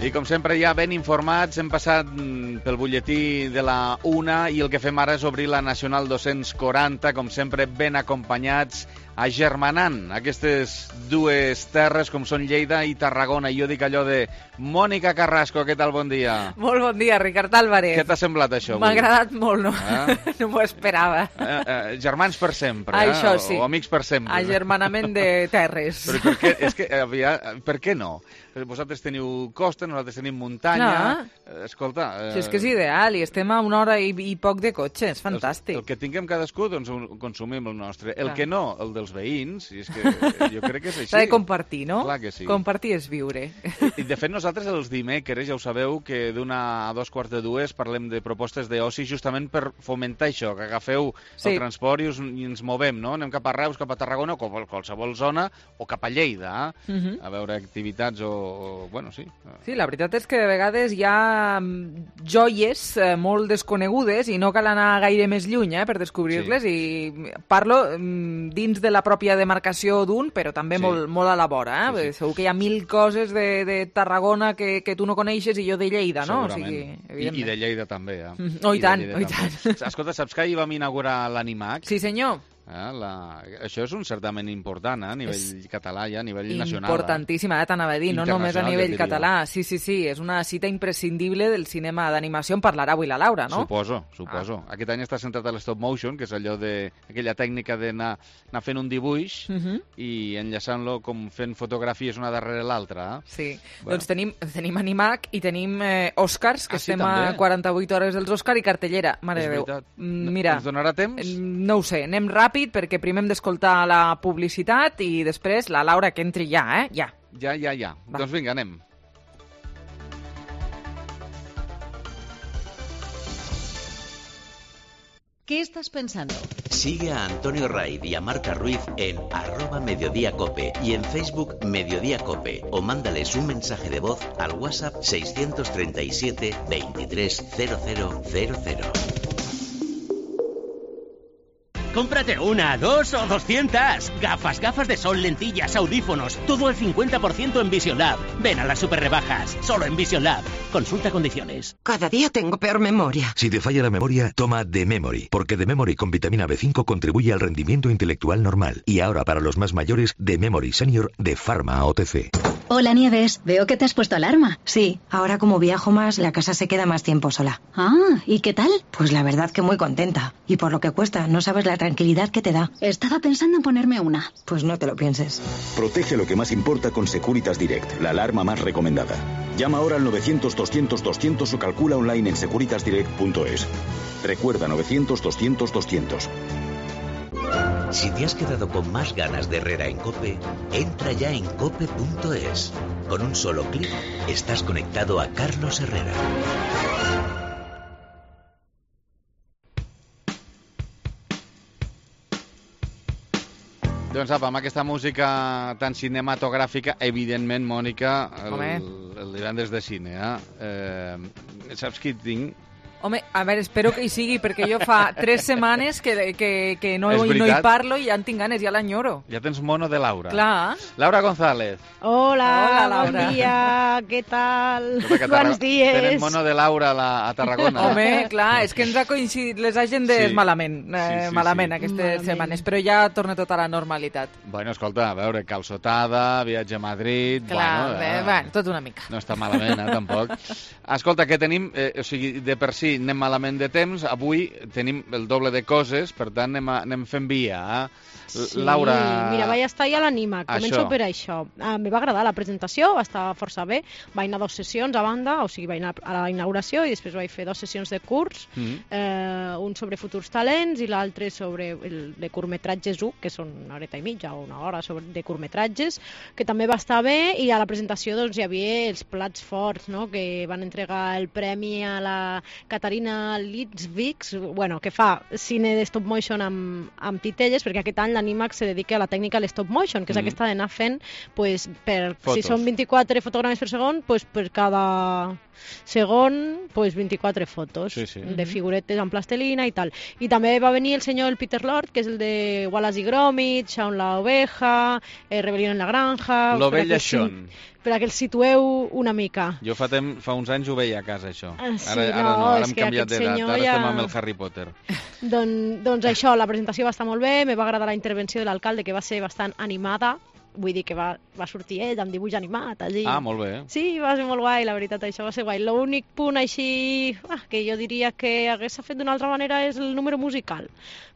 I com sempre ja ben informats, hem passat pel butlletí de la 1 i el que fem ara és obrir la Nacional 240, com sempre ben acompanyats, agermanant aquestes dues terres com són Lleida i Tarragona. I jo dic allò de Mònica Carrasco, què tal? Bon dia. Molt bon dia, Ricard Álvarez. Què t'ha semblat això? M'ha agradat molt, no? No m'ho esperava. Germans per sempre, això sí. O amics per sempre. Agermanament de terres. Però per què? És que, per què no? Vosaltres teniu costa, nosaltres tenim muntanya. Escolta... Si és que és ideal, i estem a 1 hora i poc de cotxe, és fantàstic. El que tinguem cadascú, doncs consumim el nostre. El que no, el dels veïns, i és que jo crec que és així. S'ha de compartir, no? Clar que sí. Compartir és viure. I de fet nosaltres els dimecres ja ho sabeu que d'1 a 2:45 parlem de propostes d'oci justament per fomentar això, que agafeu el transport i ens movem, no? Anem cap a Reus, cap a Tarragona, o a qualsevol zona, o cap a Lleida, a veure activitats bueno, sí. Sí, la veritat és que de vegades hi ha joies molt desconegudes i no cal anar gaire més lluny per descobrir-les, i parlo dins de la pròpia demarcació d'un, però també molt a la vora. Segur que hi ha 1000 coses de Tarragona que tu no coneixes i jo de Lleida, no? Segurament. I de Lleida també, Oh, i tant, oh, i tant. Escolta, saps que ahir vam inaugurar l'Animac? Sí, senyor. Això és un certament important a nivell català i a nivell nacional. Importantíssim, t'anava a dir, no només a nivell català. Sí, és una cita imprescindible del cinema d'animació. En parlarà avui la Laura, no? Suposo. Aquest any està centrat a l'stop motion, que és allò aquella tècnica d'anar fent un dibuix i enllaçant-lo com fent fotografies una darrere l'altra. Sí, doncs tenim Animac i tenim Oscars, que estem a 48 hores dels Oscars, i cartellera. Mare de Déu. Mira, ens donarà temps? No ho sé, anem ràpid, perquè primer hem d'escoltar la publicitat i després la Laura que entri ja, Ja. Doncs vinga, anem. ¿Qué estás pensando? Sigue a Antonio Raid y a Marca Ruiz en @mediodíacope y en Facebook Mediodía Cope, o mándales un mensaje de voz al WhatsApp 637 23 0000. Cómprate 1, 2 o 200. Gafas de sol, lentillas, audífonos. Todo al 50% en Vision Lab. Ven a las super rebajas. Solo en Vision Lab. Consulta condiciones. Cada día tengo peor memoria. Si te falla la memoria, toma The Memory. Porque The Memory con vitamina B5 contribuye al rendimiento intelectual normal. Y ahora para los más mayores, The Memory Senior de Pharma OTC. Hola Nieves, veo que te has puesto alarma. Sí, ahora como viajo más, la casa se queda más tiempo sola. ¿Y qué tal? Pues la verdad que muy contenta. Y por lo que cuesta, no sabes la tranquilidad que te da. Estaba pensando en ponerme una. Pues no te lo pienses. Protege lo que más importa con Securitas Direct, la alarma más recomendada. Llama ahora al 900-200-200 o calcula online en securitasdirect.es. Recuerda, 900-200-200. Si te has quedado con más ganas de Herrera en COPE, entra ya en cope.es. Con un solo clic estás conectado a Carlos Herrera. Doncs apa, amb aquesta música tan cinematogràfica, evidentment, Mònica, el divendres de cine, saps qui tinc? Home, a veure, espero que hi sigui, perquè jo fa 3 setmanes que no hi parlo i ja en tinc ganes, ja l'enyoro. Ja tens mono de Laura. Clar. Laura González. Hola, bon dia, què tal? Bons dies. Tenen mono de Laura a Tarragona. Home, clar, és que ens ha coincidit les agendes malament aquestes setmanes, però ja torna tot a la normalitat. Bueno, escolta, a veure, calçotada, viatge a Madrid... Clar, bueno, tot una mica. No està malament, tampoc. Escolta, què tenim? O sigui, de per si anem malament de temps, avui tenim el doble de coses, per tant anem fent via. Sí, Laura... Mira, vaig estar ja a l'Animac, començo per això. Me va agradar la presentació, va estar força bé, vaig anar 2 sessions a banda, o sigui, vaig anar a la inauguració i després vaig fer 2 sessions de curs, un sobre futurs talents i l'altre sobre de curtmetratges 1, que són 1 horeta i mitja o 1 hora de curtmetratges, que també va estar bé, i a la presentació doncs, hi havia els plats forts, no?, que van entregar el premi a la Caterina Litzvix, bueno, que fa cine de stop motion amb titelles, perquè aquest any l'Animac se dedica a la tècnica de stop motion, que és aquesta d'anar fent, pues, si són 24 fotogrames per segon, pues, per cada segon, pues 24 fotos de figuretes en plastelina i tal. I també va venir el senyor Peter Lord, que és el de Wallace y Gromit, Shaun la oveja, Rebelión en la granja... L'ovella Shaun. per a que els situeu una mica. Jo fa uns anys ho veia a casa, això. Sí, Ara hem canviat d'edat, ara estem amb el Harry Potter. Doncs això, la presentació va estar molt bé, me va agradar la intervenció de l'alcalde, que va ser bastant animada, vull dir que va sortir ell amb dibuix animat allí. Ah, molt bé. Sí, va ser molt guai, la veritat, això va ser guai. L'únic punt així que jo diria que hagués fet d'una altra manera és el número musical,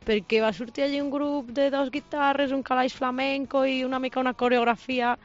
perquè va sortir allí un grup de 2 guitarres, un calaix flamenco i una mica una coreografia.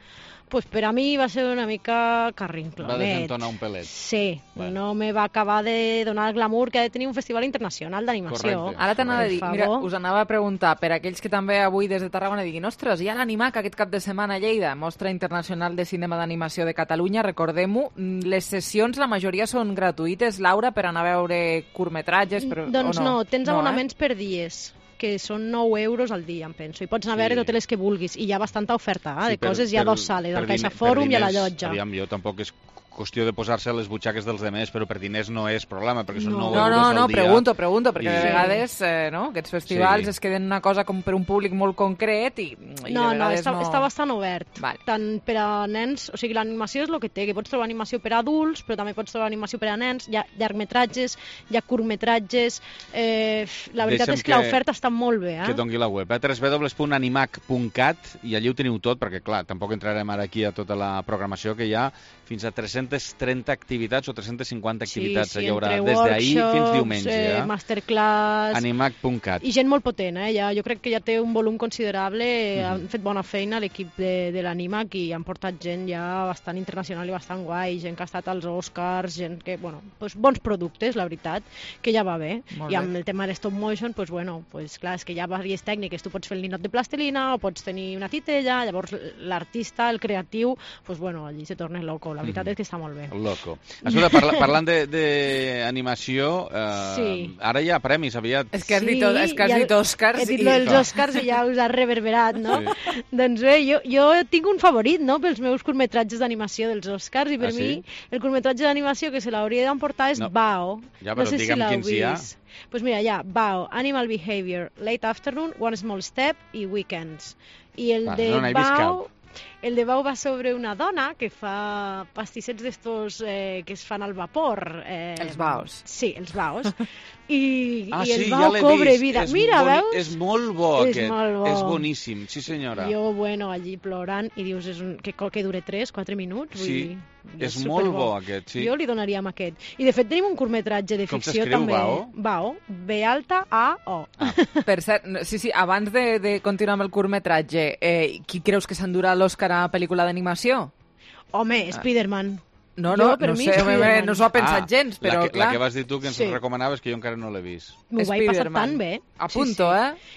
Pues per a mi va ser una mica carrinclonet. Va desentonar un pelet. Sí, no me va acabar de donar el glamour que ha de tenir un festival internacional d'animació. Ara t'anava a dir, mira, us anava a preguntar, per aquells que també avui des de Tarragona diguin, ostres, hi ha l'Animac aquest cap de setmana a Lleida, Mostra Internacional de Cinema d'Animació de Catalunya, recordem-ho, les sessions la majoria són gratuïtes, Laura, per anar a veure curtmetratges, doncs no, tens abonaments per dies, que són 9 euros al dia, em penso, i pots anar a veure totes les que vulguis, i hi ha bastanta oferta de coses, hi ha 2 sales, al Caixa Fòrum i a la Llotja. Aviam, jo tampoc és qüestió de posar-se a les butxaques dels demés, però per diners no és problema, perquè són 9 euros al dia. No, pregunto, perquè de vegades aquests festivals es queden una cosa com per un públic molt concret i de vegades no... Està bastant obert. Tant per a nens, o sigui, l'animació és el que té, que pots trobar animació per a adults, però també pots trobar animació per a nens, hi ha llargmetratges, hi ha curtmetratges, la veritat és que l'oferta està molt bé. Que doni la web, www.animac.cat, i allí ho teniu tot, perquè clar, tampoc entrarem ara aquí a tota la programació que hi ha, fins a 330 activitats o 350 activitats hi haurà des d'ahir fins diumenge. Masterclass... Animac.cat. I gent molt potent, jo crec que ja té un volum considerable, han fet bona feina l'equip de l'Animac i han portat gent ja bastant internacional i bastant guai, gent que ha estat als Oscars, gent que, bons productes, la veritat, que ja va bé. I amb el tema de stop motion, clar, és que hi ha diverses tècniques, tu pots fer el ninot de plastilina o pots tenir una titella, llavors l'artista, el creatiu, allí se torna loco. La veritat és que està molt bé. Loco. Escolta, parlant d'animació, ara hi ha premis aviat. És que has dit Oscars. He dit els Oscars i ja us ha reverberat, no? Doncs bé, jo tinc un favorit, no?, pels meus curtmetratges d'animació dels Oscars, i per mi el curtmetratge d'animació que se l'hauria d'emportar és Bao. Ja, però digue'm quins hi ha. Doncs mira, hi ha Bao, Animal Behavior, Late Afternoon, One Small Step i Weekends. I el de Bao... El de Bao va sobre una dona que fa pastissets d'estos que es fan al vapor. Els baos. Sí, els baos. I el Bao cobre vida. Mira, veus? És molt bo aquest. És boníssim, sí senyora. Jo, allí plorant, i dius que dure 3-4 minuts. Sí, és molt bo aquest, sí. Jo li donaria amb aquest. I de fet tenim un curtmetratge de ficció també. Com s'escriu Bao? B-A-O. Per cert, sí, abans de continuar amb el curtmetratge, qui creus que s'endurà l'Òscar a pel·lícula d'animació? Home, Spider-Man. No sé, no s'ho ha pensat gens, però clar... La que vas dir tu que ens recomanaves, que jo encara no l'he vist. M'ho vaig passar tan bé. A punto,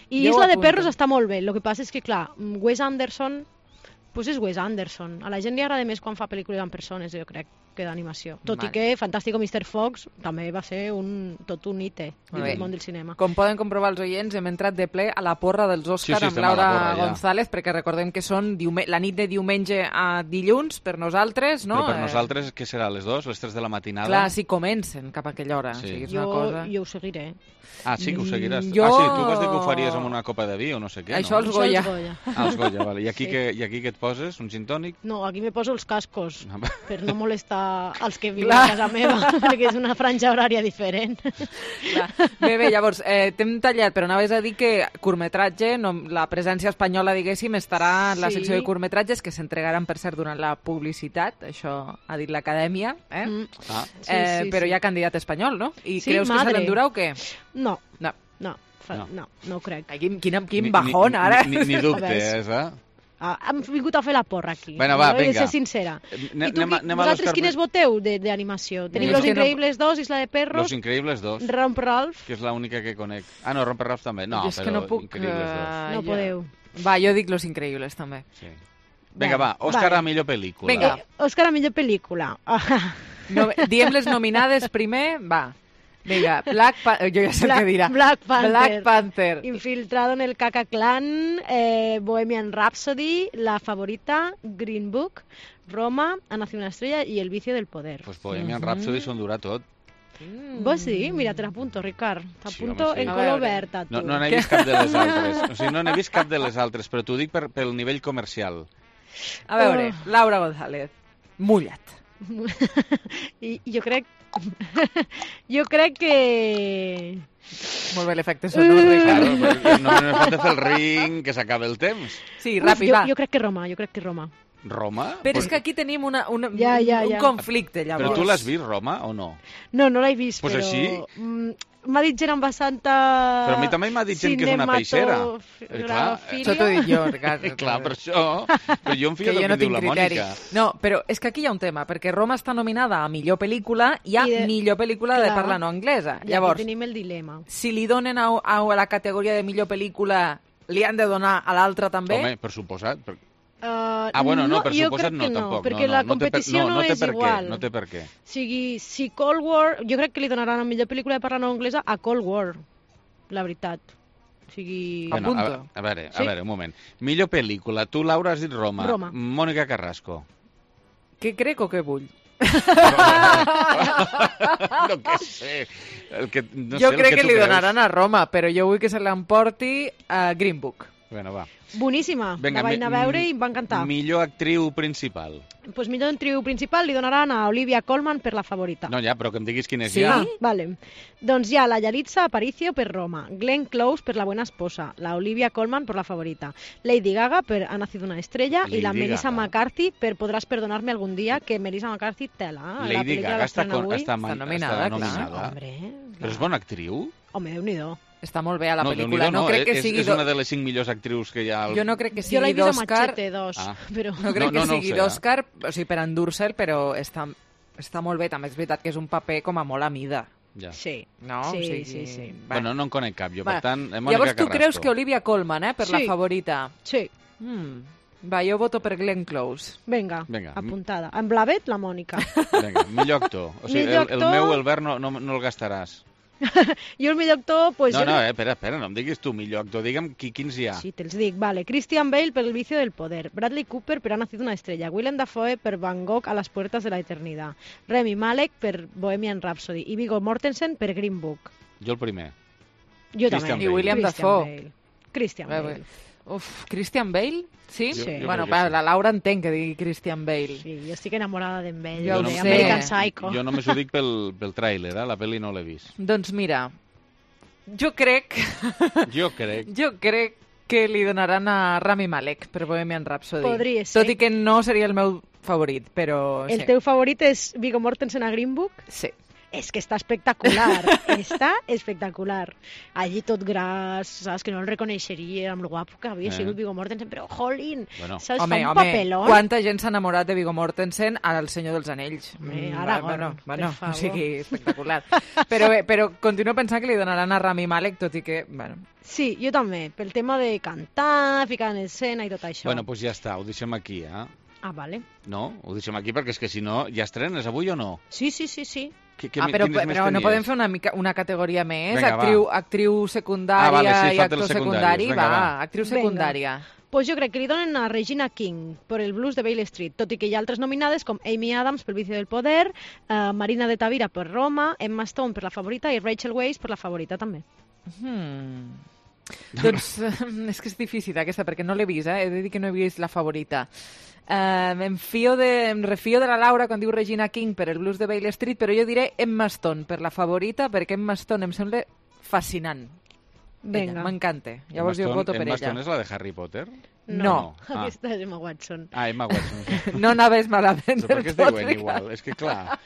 I Isla de Perros està molt bé. El que passa és que, clar, Wes Anderson... Pues és Wes Anderson. A la gent li agrada més quan fa pel·lícules amb persones, jo crec, que d'animació. Tot i que Fantàstico Mr. Fox també va ser tot un hite del món del cinema. Com poden comprovar els oients, hem entrat de ple a la porra dels Òscars amb Laura González, perquè recordem que són la nit de diumenge a dilluns per nosaltres, no? Però per nosaltres, què serà, les 2, les 3 de la matinada? Clar, si comencen cap a aquella hora. Jo ho seguiré. Ah, sí que ho seguiràs? Tu vas dir que ho faries amb una copa de vi o no sé què, no? Això els Goya. Els Goya, vale. I aquí què et poses? Un gin tònic? No, aquí me poso els cascos, per no molestar els que viuen a casa meva, perquè és una franja horària diferent. Bé, llavors, t'hem tallat, però anaves a dir que curtmetratge, la presència espanyola, diguéssim, estarà en la secció de curtmetratges, que s'entregaran, per cert, durant la publicitat, això ha dit l'Acadèmia, però hi ha candidat espanyol, no? I creus que se l'endurà o què? No ho crec. Quin bajón, ara. Ni dubte, hem vingut a fer la porra aquí. Bueno, va, vinga. He de ser sincera. I tu, vosaltres quines voteu d'animació? Tenim Los Increíbles 2, Isla de Perros... Los Increíbles 2. Romper Ralph. Que és l'única que conec. Ah, no, Romper Ralph també. No, és que no puc... Increíbles 2. No podeu. Va, jo dic Los Increíbles també. Sí. Vinga, va, Òscar a millor pel·lícula. Vinga, Òscar a millor pel·lícula. Diem les nominades primer, va. Vinga, jo ja sé què dirà. Black Panther. Infiltrado en el Caca Clan, Bohemian Rhapsody, La Favorita, Green Book, Roma, Ha nacido una estrella i El vicio del poder. Pues Bohemian Rhapsody s'endurà tot. Vos sí? Mira, te l'apunto, Ricard. T'apunto en color verd, a tu. No n'he vist cap de les altres. O sigui, no n'he vist cap de les altres, però t'ho dic pel nivell comercial. A veure, Laura González. Mullat. I jo crec que... Molt bé l'efecte sonor, Ricardo. Claro, no m'he fet de fer el ring, que s'acabe el temps. Sí, ràpid, va. Jo crec que Roma. Roma? Però és que aquí tenim un conflicte, llavors. Però tu l'has vist, Roma, o no? No l'he vist, pues però... Així? M'ha dit gent amb bastanta... Però a mi també m'ha dit gent que és una peixera. Això t'ho dic jo, Ricardo. Clar, per això. Però jo em fio del que diu la Mònica. No, però és que aquí hi ha un tema, perquè Roma està nominada a millor pel·lícula i a millor pel·lícula de parla no anglesa. Llavors, aquí tenim el dilema. Si li donen a la categoria de millor pel·lícula, li han de donar a l'altra també? Home, per suposat. Bueno, no, per suposat no, tampoc. Perquè la competició no és igual. No té per què. O sigui, si Cold War... Jo crec que li donaran la millor pel·lícula de parla no anglesa a Cold War, la veritat. O sigui... Bueno, a veure, un moment. Millor pel·lícula. Tu, Laura, has dit Roma. Mònica Carrasco. Què crec o què vull? No què sé. Jo crec que li donaran a Roma, però jo vull que se l'emporti a Green Book. Bueno, va. Boníssima. La vaig anar a veure i em va encantar. Millor actriu principal. Pues millor actriu principal li donaran a Olivia Colman per La Favorita. No, ja, però que em diguis quin és ja. Vale. Doncs hi ha la Yalitza Aparicio per Roma, Glenn Close per La Buena Esposa, la Olivia Colman per La Favorita, Lady Gaga per Ha nacido una estrella i la Melissa McCarthy per Podrás perdonarme algún día, que Melissa McCarthy tela. Lady Gaga està nominada. Hombre, però és bona actriu? Home, Déu-n'hi-do. Està molt bé a la pel·lícula. No crec que sigui... És una de les 5 millors actrius que hi ha... Jo no crec que sigui d'Òscar... Jo l'he vist a Machete 2, però... No crec que sigui d'Òscar, o sigui, per endur-se'l, però està molt bé. També és veritat que és un paper com a molt a mida. Sí. No? Sí. Bueno, no en conec cap, jo, per tant, Mònica Carrasco. Llavors tu creus que Olivia Colman, per La Favorita? Sí. Va, jo voto per Glenn Close. Vinga, apuntada. En blavet, la Mònica. Vinga, millor actor. O sigui, el meu, Albert, no el gastaràs. Jo el millor actor... Pues espera, no em diguis tu millor actor, digue'm quins hi ha. Sí, te'ls dic, vale. Christian Bale per El vicio del poder, Bradley Cooper per Ha nacido una estrella, Willem Dafoe per Van Gogh a las puertas de la eternidad, Rami Malek per Bohemian Rhapsody i Viggo Mortensen per Green Book. Jo el primer. Jo també. I William Dafoe. Christian Bale. Christian Bale? Sí? Bueno, la Laura entenc que digui Christian Bale. Sí, jo estic enamorada d'en Bale. Jo ho sé. American Psycho. Jo només ho dic pel tràiler, la pel·li no l'he vist. Doncs mira, jo crec que li donaran a Rami Malek per Bohemian Rhapsody. Podria ser. Tot i que no seria el meu favorit, però... El teu favorit és Viggo Mortensen a Green Book? Sí. És que està espectacular, està espectacular. Allí tot gras, saps, que no el reconeixeria amb el guapo que havia sigut Viggo Mortensen, però jolín, saps, fa un papelón. Quanta gent s'ha enamorat de Viggo Mortensen al Senyor dels Anells. Aragorn, bueno, o sigui, espectacular. Però continuo pensant que li donaran a Rami Malek, tot i que, bueno... Sí, jo també, pel tema de cantar, ficar en escena i tot això. Bueno, doncs ja està, ho deixem aquí, vale. No, ho deixem aquí perquè és que si no, ja estrenes avui o no? Sí. Però no podem fer una categoria més? Vinga, actriu secundària i actor secundari? Va, actriu secundària. Pues jo crec que li donen a Regina King per El blues de Beale Street, tot i que hi ha altres nominades com Amy Adams per El vicio del poder, Marina de Tavira per Roma, Emma Stone per La Favorita i Rachel Weisz per La Favorita també. Doncs és que és difícil aquesta, perquè no l'he vist, he de dir que no he vist La Favorita. Em refio de la Laura quan diu Regina King per El blues de Beale Street, però jo diré Emma Stone per La Favorita, perquè Emma Stone em sembla fascinant. M'encanta. Llavors jo voto per ella. Emma Stone és la de Harry Potter? No. Aquesta és Emma Watson. Emma Watson. No anaves malament. Per què es diuen igual? És que clar...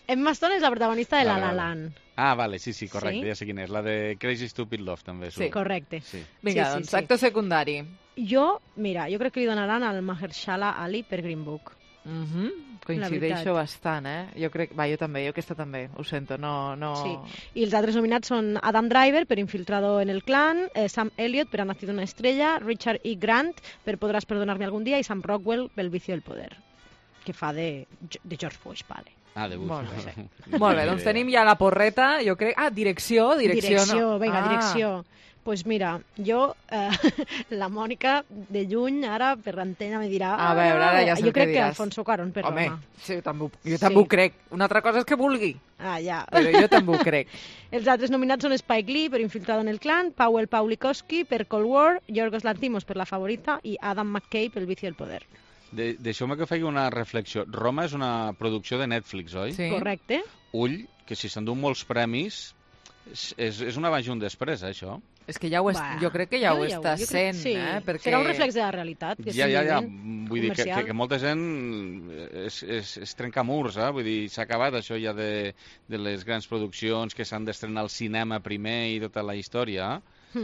Emma Stone és la protagonista de La La Land. Vale, sí, correcte, ja sé quina és. La de Crazy Stupid Love, també. Sí, correcte. Vinga, doncs, actor secundari. Jo crec que li donaran al Mahershala Ali per Green Book. Coincideixo bastant, Jo també, jo aquesta també, ho sento, no... Sí, i els altres nominats són Adam Driver per Infiltrado en el clan, Sam Elliott per Ha nacido una estrella, Richard E. Grant per Podrás perdonarme algún día i Sam Rockwell per El vicio del poder, que fa de George Bush, vale. De Bush. Molt bé, doncs tenim ja la porreta, jo crec... Direcció, direcció. Pues mira, jo, la Mònica, de lluny, ara, per l'antena, me dirà... A veure, ara ja sé el que diràs. Jo crec que Alfonso Cuarón per Roma. Sí, jo també ho crec. Una altra cosa és que vulgui. Ja. Però jo també ho crec. Els altres nominats són Spike Lee per Infiltrado en el clan, Pawlikowski per Cold War, Yorgos Lanthimos per La Favorita i Adam McKay per El vicio del poder. Deixeu-me que faci una reflexió. Roma és una producció de Netflix, oi? Sí. Correcte. Ull, que si s'endú molts premis, és un abans i un després, això. És que ja jo crec que ja ho està sent, perquè... Serà un reflex de la realitat. Ja. Vull dir que molta gent és trencamurs, vull dir, s'ha acabat això ja de les grans produccions que s'han d'estrenar al cinema primer i tota la història. A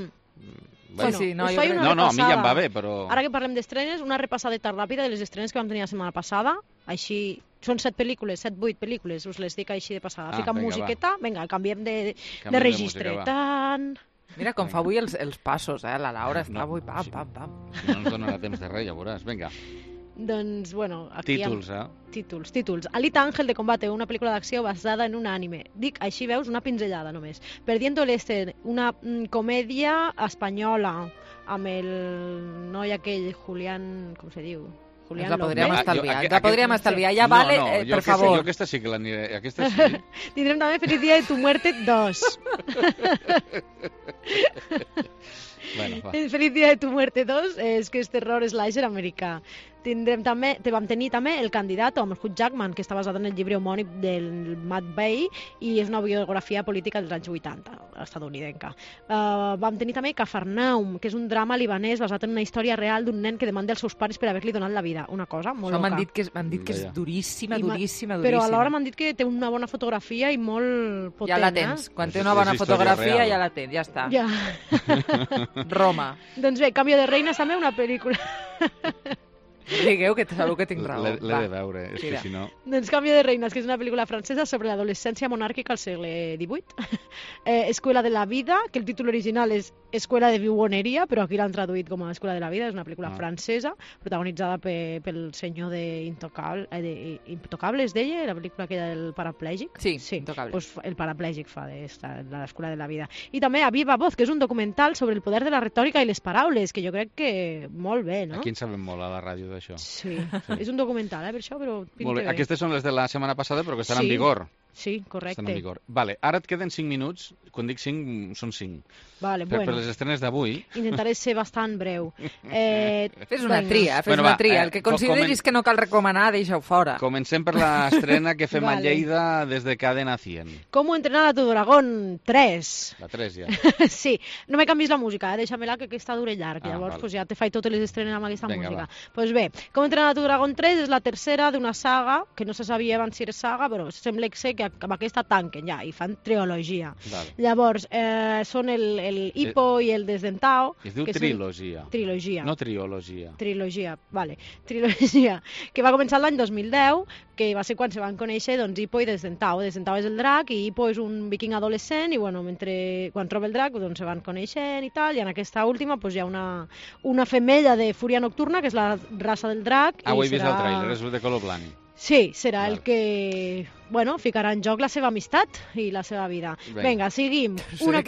mi ja em va bé, però... Ara que parlem d'estrenes, una repassadeta ràpida de les estrenes que vam tenir la setmana passada, així... Són 7 pel·lícules, 7-8 pel·lícules, us les dic així de passada. Fiquem musiqueta, vinga, canviem de registre. Mira com fa avui els passos, la Laura està avui pam. Si no ens donarà temps de res, ja veuràs. Vinga. Doncs, bueno... Aquí Títols, Alita Ángel de Combate, una pel·lícula d'acció basada en un anime. Dic, així veus, una pinzellada només. Perdiendo el Este, una comèdia espanyola, amb el noi aquell, Julián... Com se diu? Ens la podríem estalviar. Ja vale, per favor. Jo aquesta sí que l'aniré. Aquesta sí. Tindrem també Feliz Día de tu Muerte 2. Feliz Día de tu Muerte 2 és que és terror slasher americà. Vam tenir també El Candidato amb Hugh Jackman, que està basat en el llibre homònim del Matt Bay i és una biografia política dels anys 80, estadounidenca. Vam tenir també Cafarnaum, que és un drama libanès basat en una història real d'un nen que demanda als seus pares per haver-li donat la vida. Una cosa molt loca. M'han dit que és duríssima. Però alhora m'han dit que té una bona fotografia i molt potent. Ja la tens. Quan té una bona fotografia ja la tens, ja està. Ja. Roma. Doncs bé, Cambio de Reinas també, una pel·lícula... Digueu que sabeu que tinc raó. L'he de veure, és que si no... Doncs Cambio de Reinas, que és una pel·lícula francesa sobre l'adolescència monàrquica al segle XVIII. Escuela de la vida, que el títol original és Escuela de Viuoneria, però aquí l'han traduït com a Escuela de la vida. És una pel·lícula francesa, protagonitzada pel senyor Intocable, es deia, la pel·lícula que era del paraplègic. Sí, Intocable. Pues el paraplègic fa l'Escuela de la vida. I també A Viva Voz, que és un documental sobre el poder de la retòrica i les paraules, que jo crec que molt bé, no? Aquí en sabem molt a la ràdio d'això. Sí, és un documental, per això, però molt bé. Aquestes són les de la setmana passada, però que estan en vigor. Sí, correcte. Estan en vigor. Vale, ara et queden 5 minuts. Quan dic 5, són 5. Vale, bueno. Per les estrenes d'avui... Intentaré ser bastant breu. Fes una tria. El que consideris que no cal recomanar, deixa-ho fora. Comencem per l'estrena que fem a Lleida des de Cadena 100. ¿Cómo entrenar a tu dragón 3? La 3 ja. Sí, no me canvis la música, deixa-me-la que aquesta dure llarg. Llavors ja te faig totes les estrenes amb aquesta música. Doncs bé, ¿Cómo entrenar a tu dragón 3 és la tercera d'una saga, que no se sabia abans si era saga, però sembla que sé que amb aquesta tanquen ja, i fan trilogia. Llavors, són el Hippo i el Desdentao. Es diu trilogia. Trilogia. No triologia. Trilogia, vale. Trilogia, que va començar l'any 2010, que va ser quan se van conèixer Hippo i Desdentao. Desdentao és el drac i Hippo és un viking adolescent i bueno, quan troba el drac doncs se van coneixent i tal, i en aquesta última hi ha una femella de fúria nocturna, que és la raça del drac. Ho he vist al tràiler, és de color blanc. Sí, serà el que ficarà en joc la seva amistat i la seva vida. Vinga, seguim. Una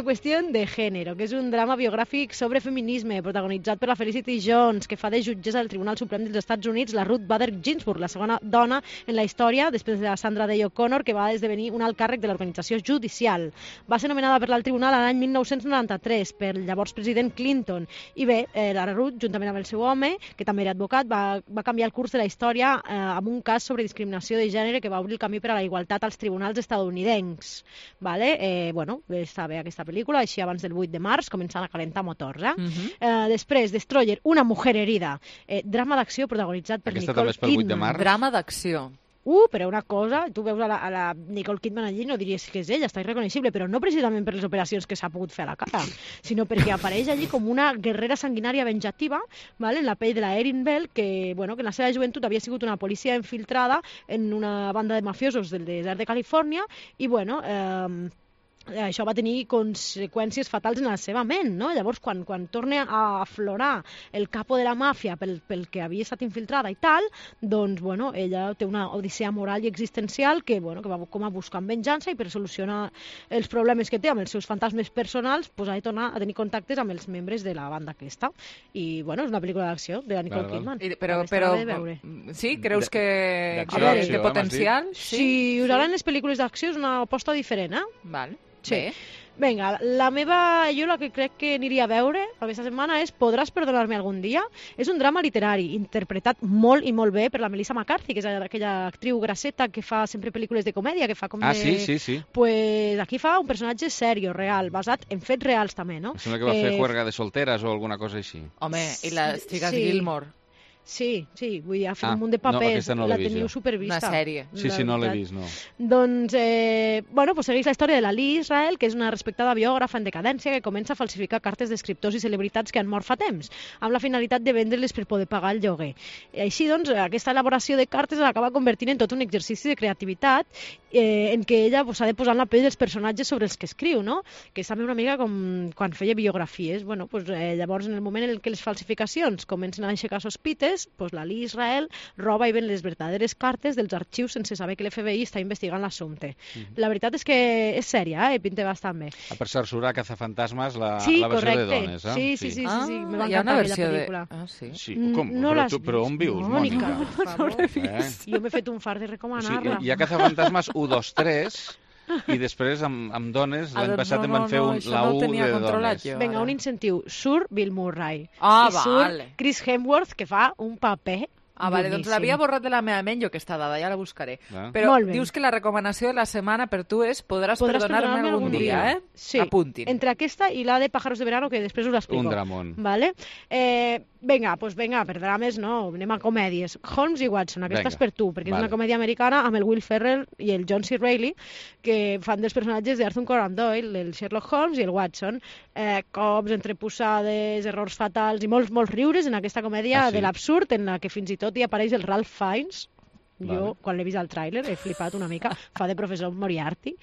qüestió de gènere, que és un drama biogràfic sobre feminisme, protagonitzat per la Felicity Jones, que fa de jutgessa del Tribunal Suprem dels Estats Units, la Ruth Bader Ginsburg, la segona dona en la història, després de la Sandra Day O'Connor, que va esdevenir un alt càrrec de l'organització judicial. Va ser nomenada per l'alt tribunal l'any 1993 pel llavors president Clinton. I bé, la Ruth, juntament amb el seu home, que també era advocat, va canviar el curs de la història amb un cas sobre discriminació de gènere que va obrir el camí per a la igualtat als tribunals estadounidencs. Està bé aquesta pel·lícula, així abans del 8 de març, començant a calentar motors. Després, Destroyer, una mujer herida. Drama d'acció protagonitzat per Nicole Kidman. Drama d'acció. Però una cosa, tu veus a la Nicole Kidman allí, no diries que és ella, està irreconeixible, però no precisament per les operacions que s'ha pogut fer a la cara, sinó perquè apareix allí com una guerrera sanguinària venjativa, en la pell de la Erin Bell, que en la seva joventut havia sigut una policia infiltrada en una banda de mafiosos del desert de Califòrnia, i això va tenir conseqüències fatals en la seva ment, no? Llavors, quan torna a aflorar el capo de la màfia pel que havia estat infiltrada i tal, doncs, ella té una odissea moral i existencial que va com a buscar venjança, i per solucionar els problemes que té amb els seus fantasmes personals, ha de tornar a tenir contactes amb els membres de la banda aquesta. I, és una pel·lícula d'acció de la Nicole Kidman. Però sí? Creus que té potencial? Si us agraden les pel·lícules d'acció, és una aposta diferent, Val. Sí. Vinga, jo la que crec que aniria a veure aquesta setmana és Podràs perdonar-me algun dia. És un drama literari, interpretat molt i molt bé per la Melissa McCarthy, que és aquella actriu grasseta que fa sempre pel·lícules de comèdia, que fa com de... sí. Pues aquí fa un personatge serio, real, basat en fets reals també, no? Em sembla que va fer Juerga de solteres o alguna cosa així. Home, i les xiques Gilmore. Sí, vull dir, ha fet un munt de papers, la teniu supervista. Una sèrie. Sí, no l'he vist, no. Doncs, segueix la història de la Lee Israel, que és una respectada biògrafa en decadència que comença a falsificar cartes d'escriptors i celebritats que han mort fa temps, amb la finalitat de vendre-les per poder pagar el lloguer. I així, doncs, aquesta elaboració de cartes l'acaba convertint en tot un exercici de creativitat en què ella s'ha de posar en la pell dels personatges sobre els que escriu, no? Que és també una mica com quan feia biografies. Llavors, en el moment en què les falsificacions comencen a aixecar sospites, la Lee Israel roba i ven les verdaderes cartes dels arxius sense saber que l'FBI està investigant l'assumpte. La veritat és que és sèria, pinta bastant bé. Per cert, surt a Cazafantasmes la versió de dones, eh? Sí, me va encantar aquella pel·lícula. Sí, com? Però on vius, Mònica? No l'he vist. Jo m'he fet un fart de recomanar-la. Hi ha Cazafantasmes 1, 2, 3... I després, amb dones, l'any passat em van fer la U de dones. Vinga, un incentiu. Surt Bill Murray. I surt Chris Hemsworth, que fa un paper vale, doncs l'havia borrat de la meva ment, jo aquesta dada, ja la buscaré. Però dius que la recomanació de la setmana per tu és Podràs perdonar-me algun dia, eh? Sí, apuntin. Entre aquesta i la de Pájaros de verano, que després us l'explico. Un dramón. Vale? Vinga, per drames no, anem a comèdies. Holmes i Watson, aquesta és per tu, perquè és una comèdia americana amb el Will Ferrell i el John C. Reilly, que fan dels personatges d'Arthur Conan Doyle, el Sherlock Holmes i el Watson. Cops, entreposades, errors fatals i molts riures en aquesta comèdia de l'absurd, en la que fins i tot hi apareix el Ralph Fiennes. Jo, quan l'he vist al tràiler, he flipat una mica. Fa de professor Moriarty.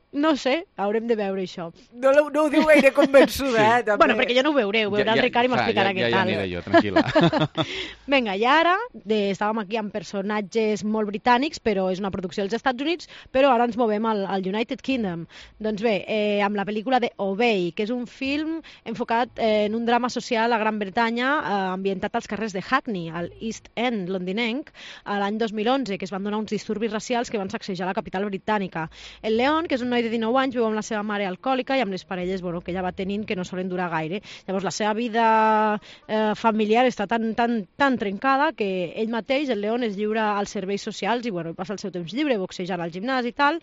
No sé, haurem de veure això. No ho diu gaire convençuda, també. Bueno, perquè jo no ho veuré, ho veurà el Ricard i m'explicarà què tal. Ja aniré jo, tranquil·la. Vinga, i ara estàvem aquí amb personatges molt britànics, però és una producció dels Estats Units, però ara ens movem al United Kingdom. Doncs bé, amb la pel·lícula de Obey, que és un film enfocat en un drama social a Gran Bretanya, ambientat als carrers de Hackney, al East End londinenc, a l'any 2011, que es van donar uns disturbis racials que van sacsejar la capital britànica. El Leon, que és un noi de 19 anys, viu amb la seva mare alcohòlica i amb les parelles que ella va tenint que no solen durar gaire. Llavors la seva vida familiar està tan trencada que ell mateix, el Leon, es lliura als serveis socials i passa el seu temps lliure, boxejant al gimnàs i tal.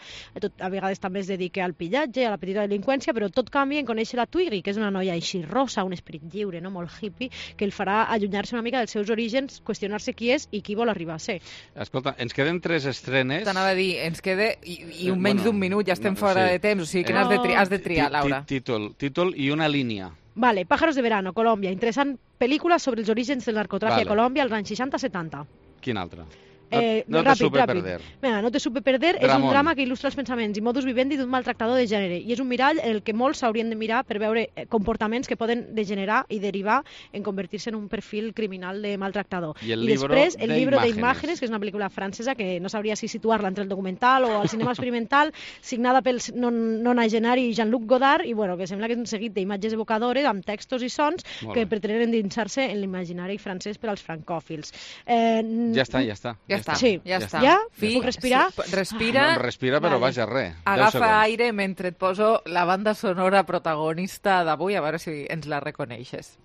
A vegades també es dedica al pillatge, a la petita delinqüència, però tot canvia en conèixer la Twiggy, que és una noia així rosa, un esperit lliure, no? Molt hippie, que el farà allunyar-se una mica dels seus orígens, qüestionar-se qui és i qui vol arribar a ser. Escolta, ens queden 3 estrenes. T'anava a dir, ens queda i menys d'un minut, ja estem fora de temps, o sigui que has de triar, Laura. Títol i una línia. Vale, Pájaros de verano, Colòmbia. Interessant pel·lícula sobre els orígens del narcotràfic a Colòmbia als anys 60-70. Quin altre? No te supe perder. Mira, No te supe perder és un drama que il·lustra els pensaments i modus vivendi d'un maltractador de gènere i és un mirall en el que molts s'haurien de mirar per veure comportaments que poden degenerar i derivar en convertir-se en un perfil criminal de maltractador. I després el libro de Imágenes, que és una pel·lícula francesa que no sabria si situar-la entre el documental o el cinema experimental, signada pel nonagenari Jean-Luc Godard i que sembla que és un seguit d'imatges evocadores amb textos i sons que pretenen endinsar-se en l'imaginari francès per als francòfils. Ja està. Sí, ja està. Ja? Puc respirar? Respira. No, respira, però vaja, res. Agafa aire mentre et poso la banda sonora protagonista d'avui, a veure si ens la reconeixes.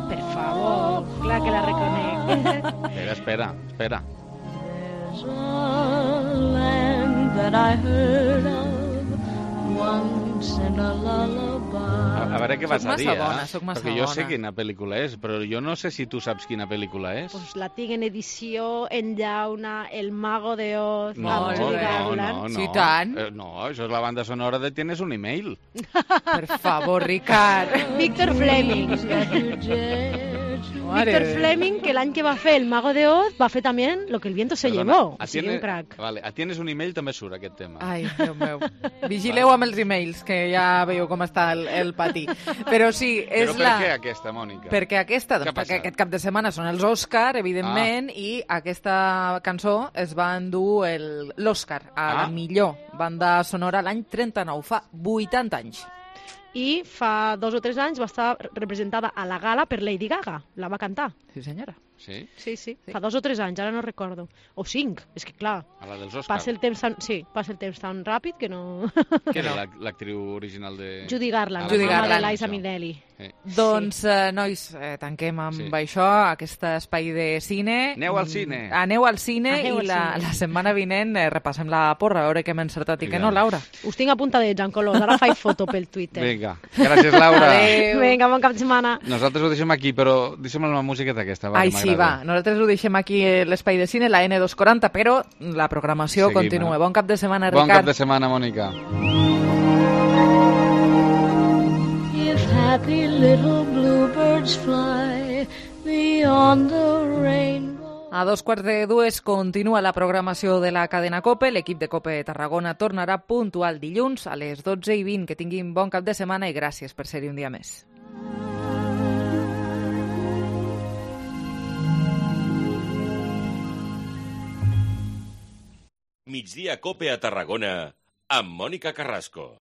Per favor, clar que la reconec. Espera. There's a land that I heard of once in a lullaby. A veure què vas a dir, soc massa perquè jo bona. sé quina pel·lícula és, però jo no sé si tu saps quina pel·lícula és. Pues la tinc en edició, en llauna, El Mago de Oz, No, Sí, tant. No, això és la banda sonora de Tienes un email. Per favor, Ricard. Víctor Fleming. Víctor Fleming, que l'any que va fer El Mago de Oz va fer també Lo que el viento se llevó. O sigui, un crac. Vale, a Tienes un email també surt aquest tema. Ai, Déu meu. Vigileu amb els emails, que ja veieu com està el patí. Però sí, és Però per què aquesta, Mònica? Perquè aquest cap de setmana són els Òscar, evidentment, i aquesta cançó es va endur l'Òscar a la millor banda sonora l'any 39, fa 80 anys. I fa 2 o 3 anys va estar representada a la gala per Lady Gaga. La va cantar. Sí, senyora. Sí? Sí. Fa 2 o 3 anys, ara no recordo. O 5, és que clar... A la dels Oscars. Passa el temps tan ràpid que no... Què era l'actriu original de... Judy Garland, Judy la Garland. de Liza Minnelli. Doncs, nois, tanquem amb això, aquest espai de cine. Aneu al cine. Aneu al cine i la setmana vinent repassem la porra, a veure què hem encertat i què no, Laura. Us tinc apuntadets, en colors, ara faig foto pel Twitter. Vinga, gràcies, Laura. Adéu. Vinga, bon cap de setmana. Nosaltres ho deixem aquí, però deixem la música d'aquesta. Ai, sí, va. Nosaltres ho deixem aquí l'espai de cine, la N240, però la programació continua. Bon cap de setmana, Ricard. Bon cap de setmana, Mònica. If happy little bluebirds fly beyond the rainbow. A 2:45 continua la programació de la cadena COPE. L'equip de COPE Tarragona tornarà puntual dilluns a les 12:20. Que tinguin bon cap de setmana i gràcies per ser-hi un dia més. Migdia COPE a Tarragona amb Mònica Carrasco.